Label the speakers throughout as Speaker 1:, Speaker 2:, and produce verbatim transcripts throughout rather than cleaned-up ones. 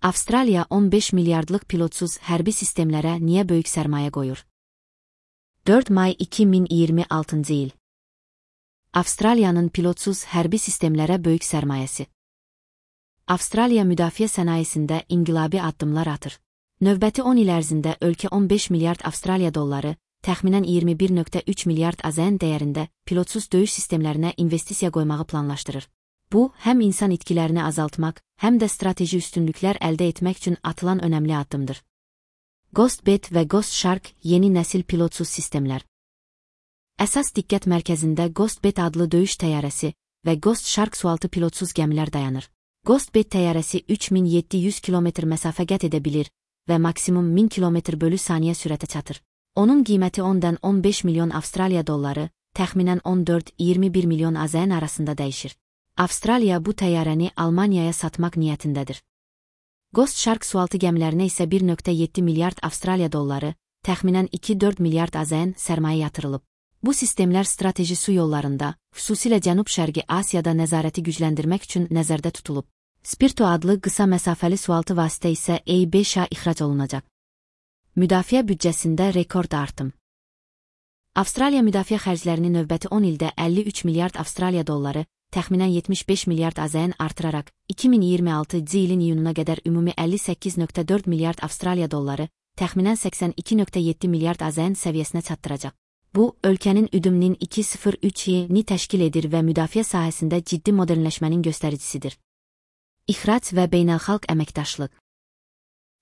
Speaker 1: Avstraliya on beş milyardlıq pilotsuz hərbi sistemlərə niyə böyük sərmayə qoyur? dörd may iki min iyirmi altıncı il. Avstraliyanın pilotsuz hərbi sistemlərə böyük sərmayəsi. Avstraliya müdafiə sənayesində inqilabi addımlar atır. Növbəti on il ərzində ölkə on beş milyard Avstraliya dolları, təxminən iyirmi bir nöqtə üç milyard AZN dəyərində pilotsuz döyüş sistemlərinə investisiya qoymağı planlaşdırır. Bu, həm insan itkilərini azaltmaq, həm də strateji üstünlüklər əldə etmək üçün atılan önəmli addımdır. Ghostbed və Ghost Shark yeni nəsil pilotsuz sistemlər. Əsas diqqət mərkəzində Ghostbed adlı döyüş təyyarəsi və Ghost Shark sualtı pilotsuz gəmilər dayanır. Ghostbed təyyarəsi üç min yeddi yüz kilometr məsafə qət edə bilir və maksimum min kilometr bölü saniyə sürətə çatır. Onun qiyməti ondan on beş milyon Avstraliya dolları, təxminən on dörd iyirmi bir milyon AZN arasında dəyişir. Avstraliya bu təyyarəni Almaniyaya satmaq niyyətindədir. Ghost Shark sualtı gəmilərinə isə bir nöqtə yeddi milyard Avstraliya dolları, təxminən iki dörd milyard AZN sərmayə yatırılıb. Bu sistemlər strateji su yollarında, xüsusilə Cənub-Şərqi Asiyada nəzarəti gücləndirmək üçün nəzərdə tutulub. Spirto adlı qısa məsafəli sualtı vasitə isə A beş A ixrac olunacaq. Müdafiə büdcəsində rekord artım. Avstraliya müdafiə xərclərini növbəti on ildə əlli üç milyard Avstraliya dolları, təxminən yetmiş beş milyard AZN artıraraq, iki min iyirmi altıncı ilin iyununa qədər ümumi əlli səkkiz nöqtə dörd milyard Avstraliya dolları, təxminən səksən iki nöqtə yeddi milyard AZN səviyyəsinə çatdıracaq. Bu, ölkənin üdümünün iki min sıfır üçini təşkil edir və müdafiə sahəsində ciddi modernləşmənin göstəricisidir. İxrac və beynəlxalq əməkdaşlıq.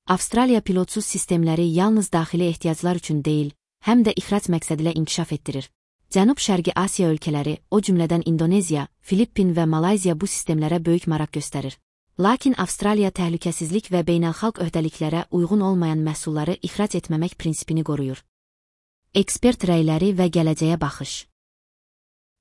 Speaker 1: Avstraliya pilotsuz sistemləri yalnız daxili ehtiyaclar üçün deyil, həm də ixrac məqsədilə inkişaf etdirir. Cənub-Şərqi Asiya ölkələri, o cümlədən Indoneziya, Filippin və Malayziya bu sistemlərə böyük maraq göstərir. Lakin Avstraliya təhlükəsizlik və beynəlxalq öhdəliklərə uyğun olmayan məhsulları ixrac etməmək prinsipini qoruyur. Ekspert rəyləri və gələcəyə baxış.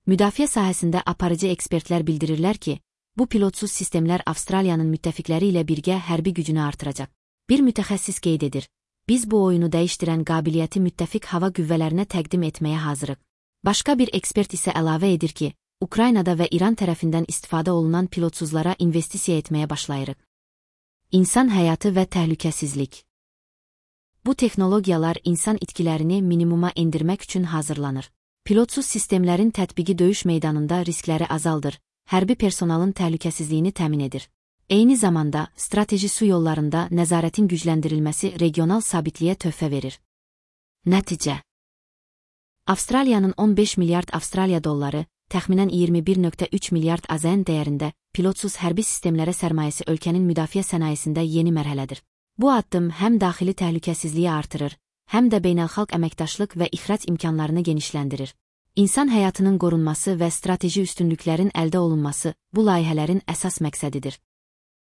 Speaker 1: Müdafiə sahəsində aparıcı ekspertlər bildirirlər ki, bu pilotsuz sistemlər Avstraliyanın müttəfiqləri ilə birgə hərbi gücünü artıracaq. Bir mütəxəssis qeyd edir, biz bu oyunu dəyişdirən qabiliyyəti müttəfiq hava qüvvələrinə təqdim etməyə hazırıq. Başqa bir ekspert isə əlavə edir ki, Ukraynada və İran tərəfindən istifadə olunan pilotsuzlara investisiya etməyə başlayırıq. İnsan həyatı və təhlükəsizlik. Bu texnologiyalar insan itkilərini minimuma endirmək üçün hazırlanır. Pilotsuz sistemlərin tətbiqi döyüş meydanında riskləri azaldır, hərbi personalın təhlükəsizliyini təmin edir. Eyni zamanda, strateji su yollarında nəzarətin gücləndirilməsi regional sabitliyə töhfə verir. Nəticə. Avstraliyanın on beş milyard Avstraliya dolları, təxminən iyirmi bir nöqtə üç milyard AZN dəyərində pilotsuz hərbi sistemlərə sərmayəsi ölkənin müdafiə sənayesində yeni mərhələdir. Bu addım həm daxili təhlükəsizliyi artırır, həm də beynəlxalq əməkdaşlıq və ixrac imkanlarını genişləndirir. İnsan həyatının qorunması və strateji üstünlüklərin əldə olunması bu layihələrin əsas məqsədidir.